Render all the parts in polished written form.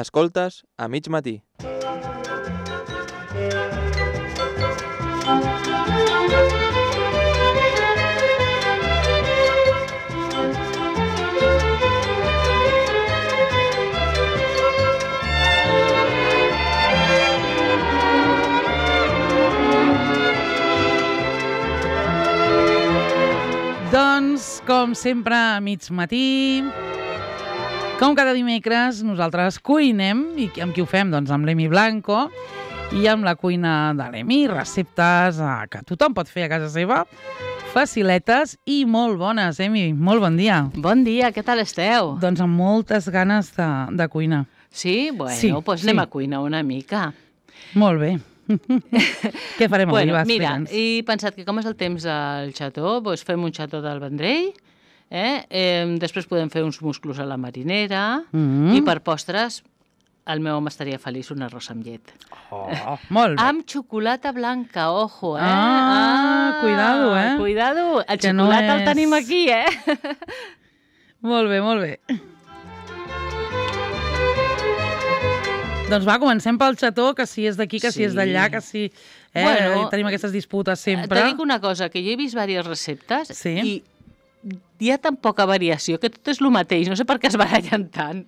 Escoltes a mig matí. Doncs, com sempre, a mig matí, com cada dimecres, nosaltres cuinem. I amb qui ho fem? Doncs amb l'Emi Blanco i amb la cuina de l'Emi. Receptes que tothom pot fer a casa seva, faciletes i molt bones. Emi, molt bon dia. Bon dia, què tal esteu? Doncs amb moltes ganes de cuina. Sí? Bueno, doncs anem a cuinar una mica. Molt bé. Què farem avui? Bueno, mira, he pensat que com és el temps al xató, doncs fem un xató del Vendrell, després podem fer uns musclos a la marinera i per postres el meu home estaria feliç un arròs amb llet. Oh, molt bé. Amb xocolata blanca, ojo, Cuidado, Cuidado, el xocolata el tenim aquí, Molt bé, molt bé. Doncs va, comencem pel xató, que si és d'aquí, que si és d'allà, que si... tenim aquestes disputes sempre. Te dic una cosa, que jo he vist diverses receptes i hi ha tan poca variació que tot és el mateix. No sé per què es barallen tant.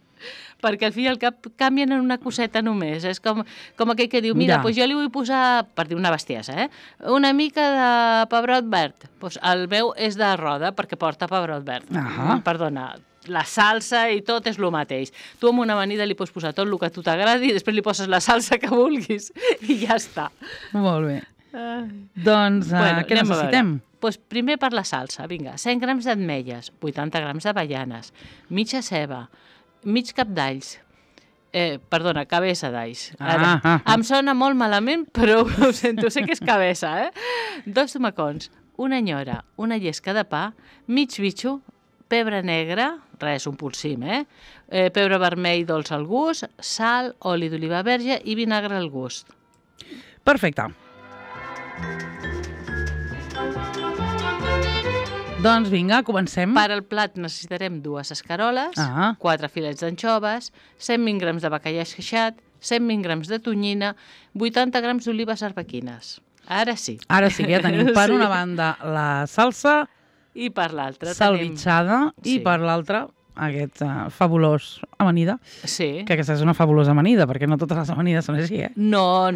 Perquè al fi i al cap canvien en una coseta només. És com aquell que diu, mira, doncs jo li vull posar, per dir una bestiesa, una mica de pebrot verd. Doncs el meu és de roda perquè porta pebrot verd. Perdona, la salsa i tot és el mateix. Tu amb una amanida li pots posar tot el que a tu t'agradi i després li poses la salsa que vulguis i ja està. Molt bé. Doncs què necessitem? Doncs primer per la salsa, vinga, 100 grams d'ametlles, 80 grams d'avellanes, mitja ceba, mig cap d'alls, cabeça d'alls. Em sona molt malament, però ho sento, sé que és cabeça, 2 tomacons, una nyora, una llesca de pa, mig bitxo, pebre negre, res, un polsim, pebre vermell dolç al gust, sal, oli d'oliva verge i vinagre al gust. Perfecte. Doncs vinga, comencem. Per al plat necessitarem 2 escaroles, 4 filets d'anxoves, 120 grams de bacallà esqueixat, 120 grams de tonyina, 80 grams d'olives arbequines. Ara sí. Ara sí que ja tenim per una banda la salsa i per l'altra salvitxada i per l'altra aquest fabulós amanida. Sí. Que aquesta és una fabulosa amanida, perquè no totes les amanides són així, No.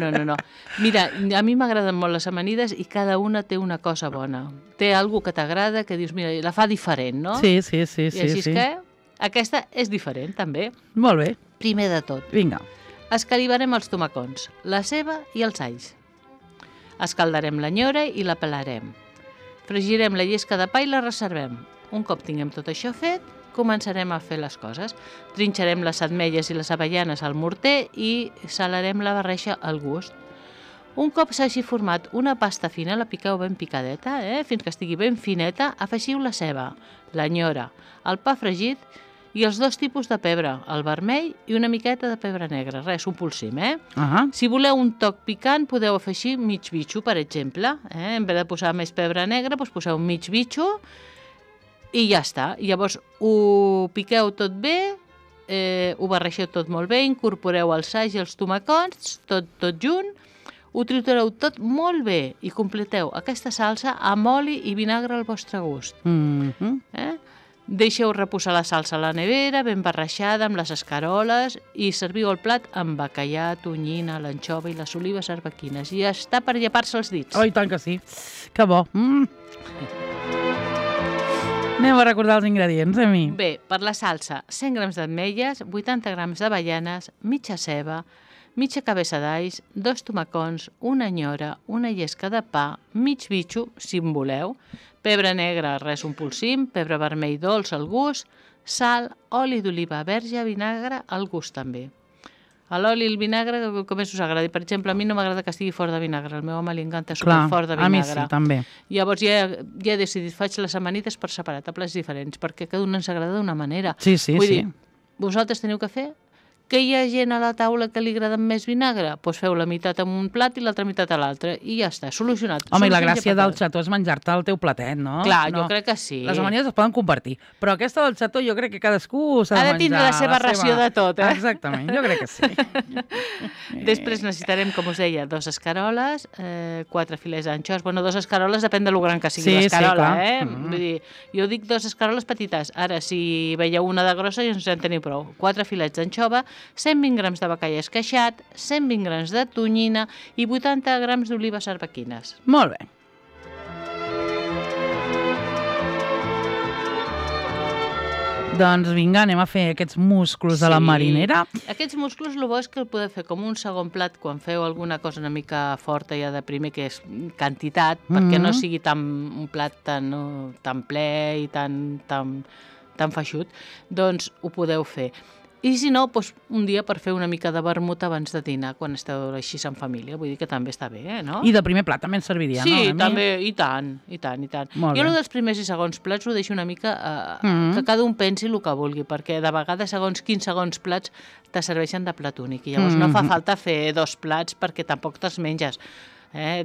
Mira, a mi m'agraden molt les amanides i cada una té una cosa bona. Té alguna que t'agrada, que dius, mira, la fa diferent, no? Sí. I així és que aquesta és diferent, també. Molt bé. Primer de tot. Vinga. Escalivarem els tomacons, la ceba i els alls. Escaldarem la nyora i la pelarem. Fregirem la llesca de pa i la reservem. Un cop tinguem tot això fet, començarem a fer les coses. Trinxarem les ametlles i les avellanes al morter i salarem la barreja al gust. Un cop s'hagi format una pasta fina, la piqueu ben picadeta, fins que estigui ben fineta, afegiu la ceba, la nyora, el pa fregit i els 2 tipus de pebre, el vermell i una miqueta de pebre negre, res, un polsim, Si voleu un toc picant, podeu afegir mig bitxo, per exemple, En vez de posar més pebre negre, doncs poseu mig bitxo i ja està. Llavors ho piqueu tot bé, ho barregeu tot molt bé, incorporeu els alls i els tomacons, tot junt, ho tritureu tot molt bé i completeu aquesta salsa amb oli i vinagre al vostre gust. Deixeu reposar la salsa a la nevera, ben barrejada amb les escaroles i serviu el plat amb bacallà, tonyina, l'anxova i les olives arbequines. I ja està per llepar-se els dits. Oh, i tant que sí. Que bo. Anem a recordar els ingredients, Emi. Bé, per la salsa, 100 grams d'ametlles, 80 grams d'avellanes, mitja ceba, mitja cabeça d'alls, 2 tomacons, una nyora, una llesca de pa, mig bitxo, si en voleu, pebre negre, res, un polsim, pebre vermell dolç al gust, sal, oli d'oliva verge, vinagre al gust també. L'oli i el vinagre, com més us agradi. Per exemple, a mi no m'agrada que estigui fort de vinagre. Al meu home li encanta superfort de vinagre. A mi sí, també. Llavors ja he decidit, faig les amanides per separat, a plats diferents, perquè cada una ens agrada d'una manera. Sí. Vull dir, vosaltres teniu que fer Que hi ha gent a la taula que li agrada més vinagre? Doncs feu la meitat en un plat i l'altra meitat a l'altre. I ja està, solucionat. Home, i la gràcia del xató és menjar-te el teu platet, no? Clar, jo crec que sí. Les amanides es poden compartir, però aquesta del xató jo crec que cadascú s'ha de menjar... Ha de tindre la seva ració de tot, eh? Exactament, jo crec que sí. Després necessitarem, com us deia, 2 escaroles, 4 filets d'anxois. Bueno, 2 escaroles depèn de lo gran que sigui l'escarola, Vull dir, jo dic 2 escaroles petites. Ara, si veieu una de grossa, ja ens en teniu prou. 4 filets d'anxova, 120 grams de bacallà esqueixat, 120 grams de tonyina i 80 grams d'olives arbequines. Molt bé. Doncs vinga, anem a fer aquests musclos de la marinera. Aquests musclos, el bo és que el podeu fer com un segon plat quan feu alguna cosa una mica forta ja de primer, que és quantitat, perquè no sigui un plat tan ple i tan feixut, doncs ho podeu fer. I si no, doncs un dia per fer una mica de vermut abans de dinar, quan esteu així en família. Vull dir que també està bé, no? I de primer plat també ens serviria, no? Sí, també, i tant. Jo el dels primers i segons plats ho deixo una mica que cada un pensi el que vulgui, perquè de vegades segons quins segons plats te serveixen de plat únic, i llavors no fa falta fer 2 plats perquè tampoc te'ls menges.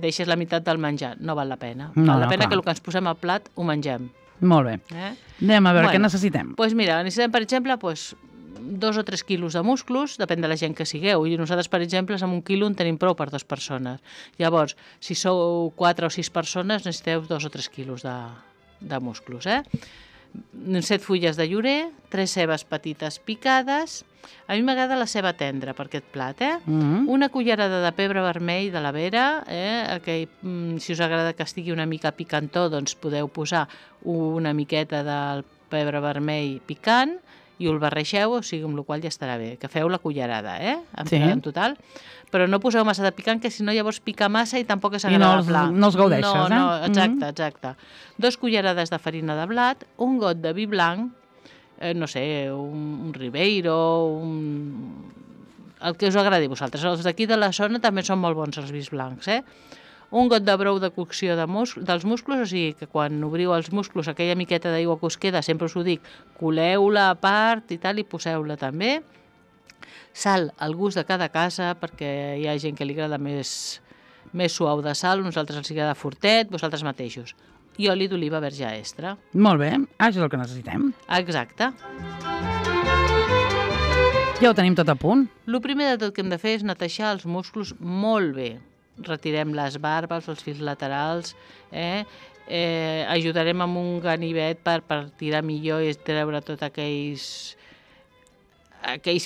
Deixes la meitat del menjar, no val la pena. Val la pena que el que ens posem al plat ho mengem. Molt bé. Anem a veure què necessitem. Doncs mira, necessitem, per exemple, 2 o 3 quilos de musclos, depèn de la gent que sigueu. I nosaltres, per exemple, amb 1 quilo en tenim prou per 2 persones. Llavors, si sou 4 o 6 persones, necessiteu 2 o 3 quilos de musclos. 7 fulles de llorer, 3 cebes petites picades. A mi m'agrada la ceba tendra per aquest plat. Una cullerada de pebre vermell de la vera. Si us agrada que estigui una mica picantó, doncs podeu posar una miqueta del pebre vermell picant i ho barregeu, o sigui, amb la qual ja estarà bé. Que feu la cullerada, en total. Però no poseu massa de picant, que si no llavors pica massa i tampoc és agradable. I no els gaudeixes, No, exacte. 2 cullerades de farina de blat, un got de vi blanc, no sé, un Ribeiro, el que us agradi a vosaltres. Els d'aquí de la zona també són molt bons els vins blancs, Un got de brou de cocció dels musclos, o sigui que quan obriu els musclos, aquella miqueta d'aigua que us queda, sempre us ho dic, coleu-la a part i tal, i poseu-la també. Sal al gust de cada casa, perquè hi ha gent que li agrada més suau de sal, nosaltres els agrada fortet, vosaltres mateixos. I oli d'oliva verge extra. Molt bé, això és el que necessitem. Exacte. Ja ho tenim tot a punt. El primer de tot que hem de fer és netejar els musclos molt bé. Retirem les barbes, els fils laterals, ajudarem amb un ganivet per tirar millor i treure tots aquells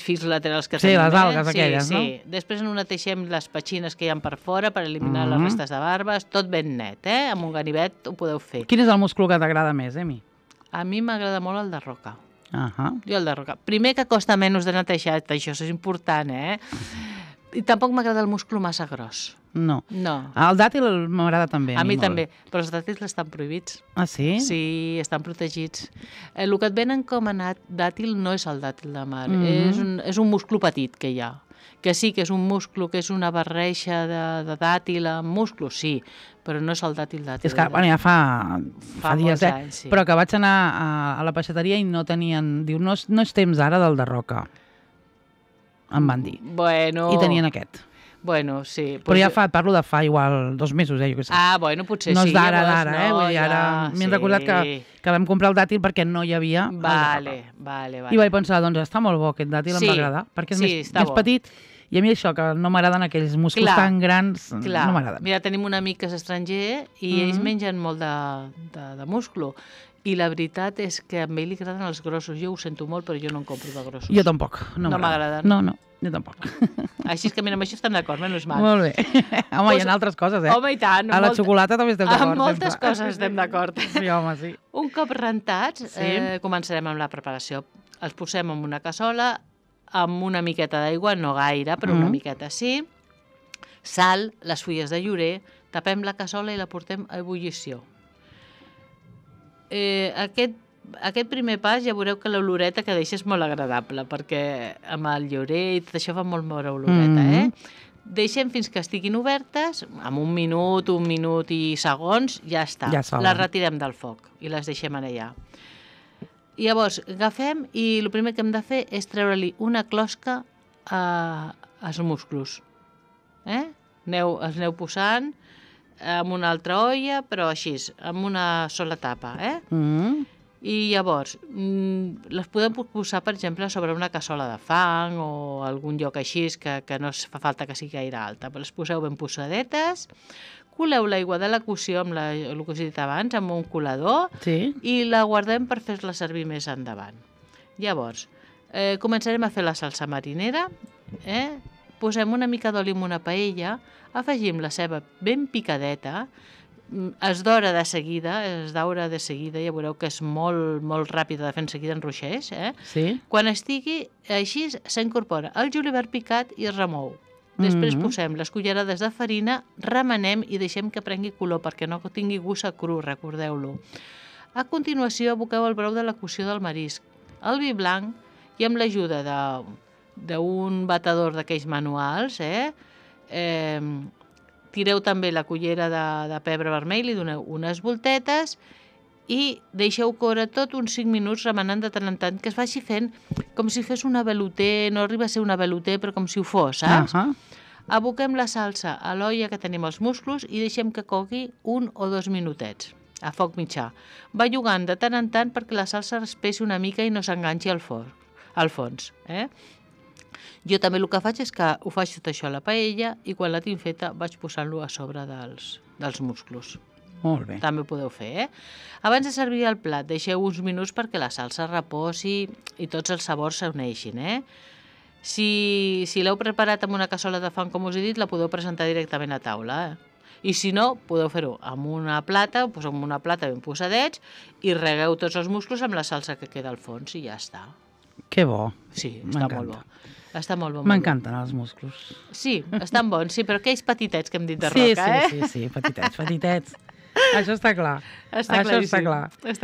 fils laterals que tenim. Sí, les algues aquelles, no? Sí. Després neteixem les petxines que hi ha per fora per eliminar les restes de barbes, tot ben net, amb un ganivet ho podeu fer. Quin és el múscul que t'agrada més, mi? A mi m'agrada molt el de roca. Jo el de roca. Primer que costa menys de netejar, això és important, I tampoc m'agrada el múscul massa gros. No. El dàtil m'agrada també. A mi també, però els dàtils estan prohibits. Ah, sí? Sí, estan protegits. El que et venen com a dàtil no és el dàtil de mar, és un musclo petit que hi ha. Que sí, que és un musclo, que és una barreja de dàtil amb musclo, sí, però no és el dàtil. És que, ja fa dies, anys, sí. Però que vaig anar a la peixateria i no tenien... Diu, no és temps ara del de roca. Em van dir. Bueno... I tenien aquest. Bueno, sí. Però ja parlo de fa igual 2 mesos, jo què sé. Bueno, potser sí. No és d'ara, vull dir, ara m'he recordat que vam comprar el dàtil perquè no hi havia Vale. I vaig pensar, doncs està molt bo aquest dàtil, em va agradar, perquè és més petit, i a mi això, que no m'agraden aquells musclos tan grans, no m'agraden. Mira, tenim un amic que és estranger i ells mengen molt de musclo. I la veritat és que a ell li agraden els grossos. Jo ho sento molt, però jo no en compro de grossos. Jo tampoc. No m'agraden. No, jo tampoc. Així és que, mira, amb això estem d'acord, menys mal. Molt bé. Home, hi ha altres coses, Home, i tant. A la xocolata també estem d'acord. Amb moltes coses estem d'acord. Sí, home, sí. Un cop rentats, començarem amb la preparació. Els posem en una cassola, amb una miqueta d'aigua, no gaire, però una miqueta sí. Sal, les fulles de llorer, tapem la cassola i la portem a ebullició. Aquest primer pas ja veureu que l'oloreta que deixa és molt agradable, perquè amb el llorer i tot això fa molt bona oloreta, Deixem fins que estiguin obertes, amb un minut i segons, ja està. Les retirem del foc i les deixem allà. Llavors, agafem i el primer que hem de fer és treure-li una closca els musclos. Els aneu posant en una altra olla, però així, amb una sola tapa. I llavors, les podem posar, per exemple, sobre una cassola de fang o algun lloc així que no fa falta que sigui gaire alta. Les poseu ben posadetes, coleu l'aigua de la cocció, amb el que us he dit abans, amb un colador, i la guardem per fer-la servir més endavant. Llavors, començarem a fer la salsa marinera, posem una mica d'oli en una paella, afegim la ceba ben picadeta, es daura de seguida, ja veureu que és molt, molt ràpida de fer en seguida en ruixers. Quan estigui així, s'incorpora el julivert picat i es remou. Després posem les cullerades de farina, remenem i deixem que prengui color perquè no tingui gust a cru, recordeu-lo. A continuació, aboqueu el brou de la cocció del marisc, el vi blanc i amb l'ajuda d'un batedor d'aquells manuals, tireu també la cullera de pebre vermell, li doneu unes voltetes i deixeu córrer tot uns 5 minuts remenant de tant en tant, que es vagi fent com si fes una velouté, no arriba a ser una velouté, però com si ho fos, saps? Aboquem la salsa a l'olla que tenim els musclos i deixem que cogui 1 o 2 minutets, a foc mitjà. Va jugant de tant en tant perquè la salsa espessi una mica i no s'enganxi al fons. Jo també el que faig és que ho faig tot això a la paella i quan la tinc feta vaig posant-lo a sobre dels musclos. Molt bé. També ho podeu fer, Abans de servir el plat, deixeu uns minuts perquè la salsa reposi i tots els sabors s'uneixin, Si l'heu preparat amb una cassola de fang, com us he dit, la podeu presentar directament a taula, I si no, podeu fer-ho amb una plata, poseu amb una plata ben posadets i regueu tots els musclos amb la salsa que queda al fons i ja està. Que bo. Sí, està molt bo. Està molt bo. M'encanten els musclos. Sí, estan bons, sí, però aquells petitets que hem dit de roca, Sí, petitets. Això està clar. Està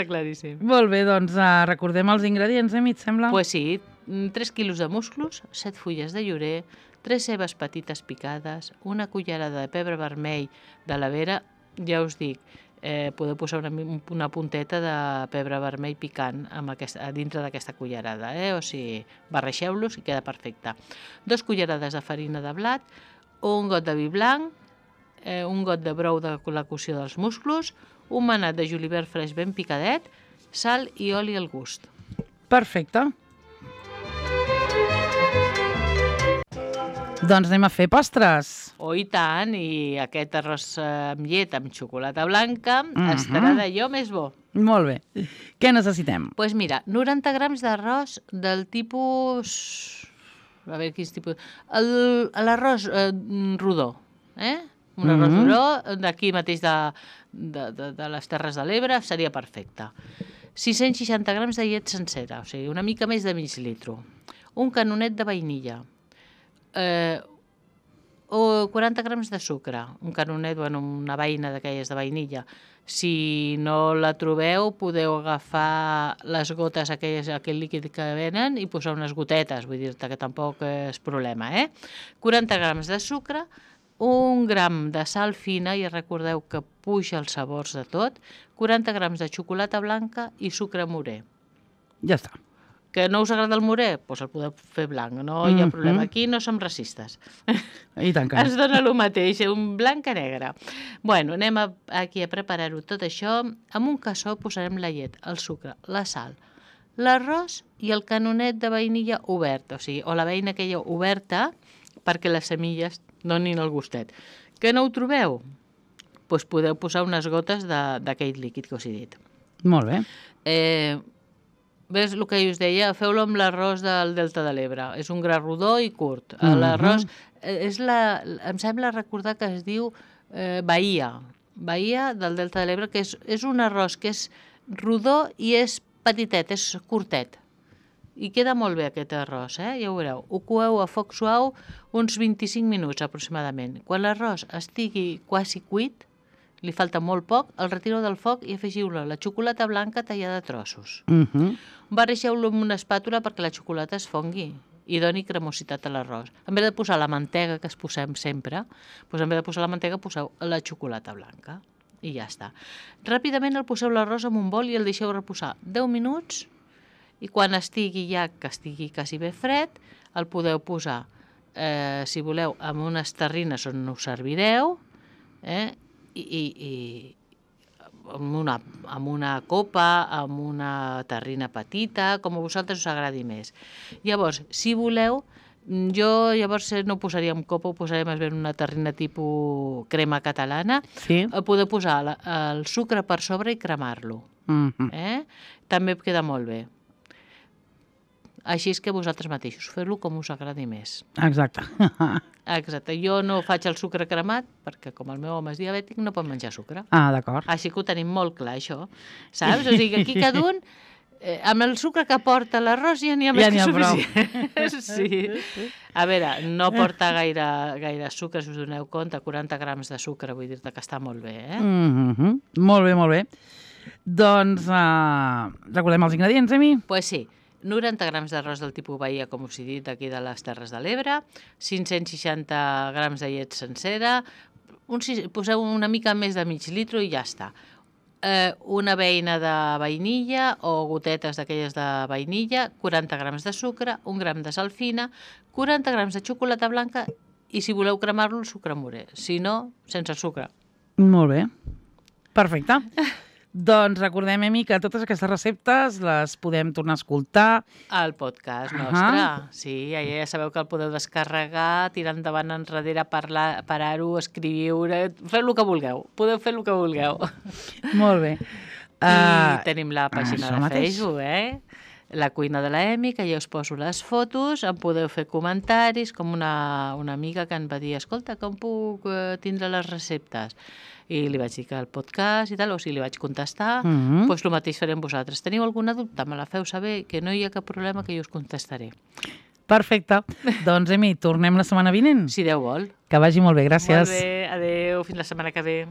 claríssim. Molt bé, doncs recordem els ingredients, mi et sembla? Pues sí, 3 quilos de musclos, 7 fulles de llorer, 3 cebes petites picades, una cullerada de pebre vermell de la vera, ja us dic, podeu posar una punteta de pebre vermell picant dintre d'aquesta cullerada, o sigui, barreixeu-los i queda perfecte. 2 cullerades de farina de blat, un got de vi blanc, un got de brou de la cocció dels musclos, un manat de julivert fresc ben picadet, sal i oli al gust. Perfecte. Doncs anem a fer postres. Oh, i tant, i aquest arròs amb llet amb xocolata blanca estarà d'allò més bo. Molt bé. Què necessitem? Doncs mira, 90 grams d'arròs del tipus... A veure, quins tipus... L'arròs rodó, Un arròs rodó d'aquí mateix de les Terres de l'Ebre seria perfecte. 660 grams de llet sencera, o sigui, una mica més de mig litro. Un canonet de vainilla. O 40 grams de sucre, un canonet, una beina d'aquelles de vainilla. Si no la trobeu, podeu agafar les gotes, aquell líquid que venen, i posar unes gotetes, vull dir-te que tampoc és problema, 40 grams de sucre, 1 gram de sal fina, i recordeu que puja els sabors de tot, 40 grams de xocolata blanca i sucre morè. Ja està. Que no us agrada el morè? Doncs el podeu fer blanc, no hi ha problema. Aquí no som racistes. I tant que no. Ens dona el mateix, un blanc a negre. Bueno, anem aquí a preparar-ho tot això. En un cassó posarem la llet, el sucre, la sal, l'arròs i el canonet de vainilla obert, o la beina aquella oberta, perquè les semilles donin el gustet. Que no ho trobeu? Doncs podeu posar unes gotes d'aquell líquid que us he dit. Molt bé. Ves el que us deia? Feu-lo amb l'arròs del Delta de l'Ebre. És un gra rodó i curt. L'arròs, em sembla recordar que es diu Bahia. Bahia del Delta de l'Ebre, que és un arròs que és rodó i és petitet, és curtet. I queda molt bé aquest arròs, ja ho veureu. Ho coeu a foc suau uns 25 minuts aproximadament. Quan l'arròs estigui quasi cuit, li falta molt poc, el retireu del foc i afegiu-lo la xocolata blanca tallada a trossos. Barreixeu-lo amb una espàtula perquè la xocolata es fongui i doni cremositat a l'arròs. En vez de posar la mantega que es posem sempre, en vez de posar la mantega poseu la xocolata blanca i ja està. Ràpidament el poseu l'arròs en un bol i el deixeu reposar 10 minuts i quan estigui quasi bé fred, el podeu posar, si voleu, amb unes terrines on ho servireu, i amb una copa, amb una terrina petita, com a vosaltres us agradi més. Llavors, si voleu, jo llavors no ho posaria en copa, ho posaria més bé en una terrina tipus crema catalana. Sí. Podeu posar el sucre per sobre i cremar-lo. També queda molt bé. Així és que vosaltres mateixos feu-lo com us agradi més. Exacte. Exacte. Jo no faig el sucre cremat perquè com el meu home és diabètic no pot menjar sucre. Ah, d'acord. Així que ho tenim molt clar, això. Saps? O sigui, aquí cada un, amb el sucre que porta l'arròs ja n'hi ha més que suficient. Sí. A veure, no porta gaire sucre, si us doneu compte, 40 grams de sucre, vull dir-te que està molt bé, Molt bé, molt bé. Doncs recordem els ingredients, Emi? Pues sí. 90 grams d'arròs del tipus Bahia, com us he dit, aquí de les Terres de l'Ebre, 560 grams de llet sencera, poseu una mica més de mig litro i ja està. Una beina de vainilla o gotetes d'aquelles de vainilla, 40 grams de sucre, 1 gram de sal fina, 40 grams de xocolata blanca i si voleu cremar-lo, el sucre morè. Si no, sense sucre. Molt bé. Perfecte. Doncs recordem, Emi, que totes aquestes receptes les podem tornar a escoltar. Al podcast nostre. Sí, ja sabeu que el podeu descarregar, tirar endavant enrere, parar-ho, escriure, feu el que vulgueu. Podeu fer el que vulgueu. Molt bé. I tenim la pàgina de Facebook, La cuina de la Emi, que ja us poso les fotos, em podeu fer comentaris, com una amiga que em va dir, escolta, com puc tindre les receptes? I li vaig dir que el podcast i tal, o sigui, li vaig contestar, doncs el mateix farem vosaltres. Teniu alguna dubte? Me la feu saber, que no hi ha cap problema, que jo us contestaré. Perfecte. Doncs, Emi, tornem la setmana vinent? Si Déu vol. Que vagi molt bé, gràcies. Molt bé, adeu, fins la setmana que ve.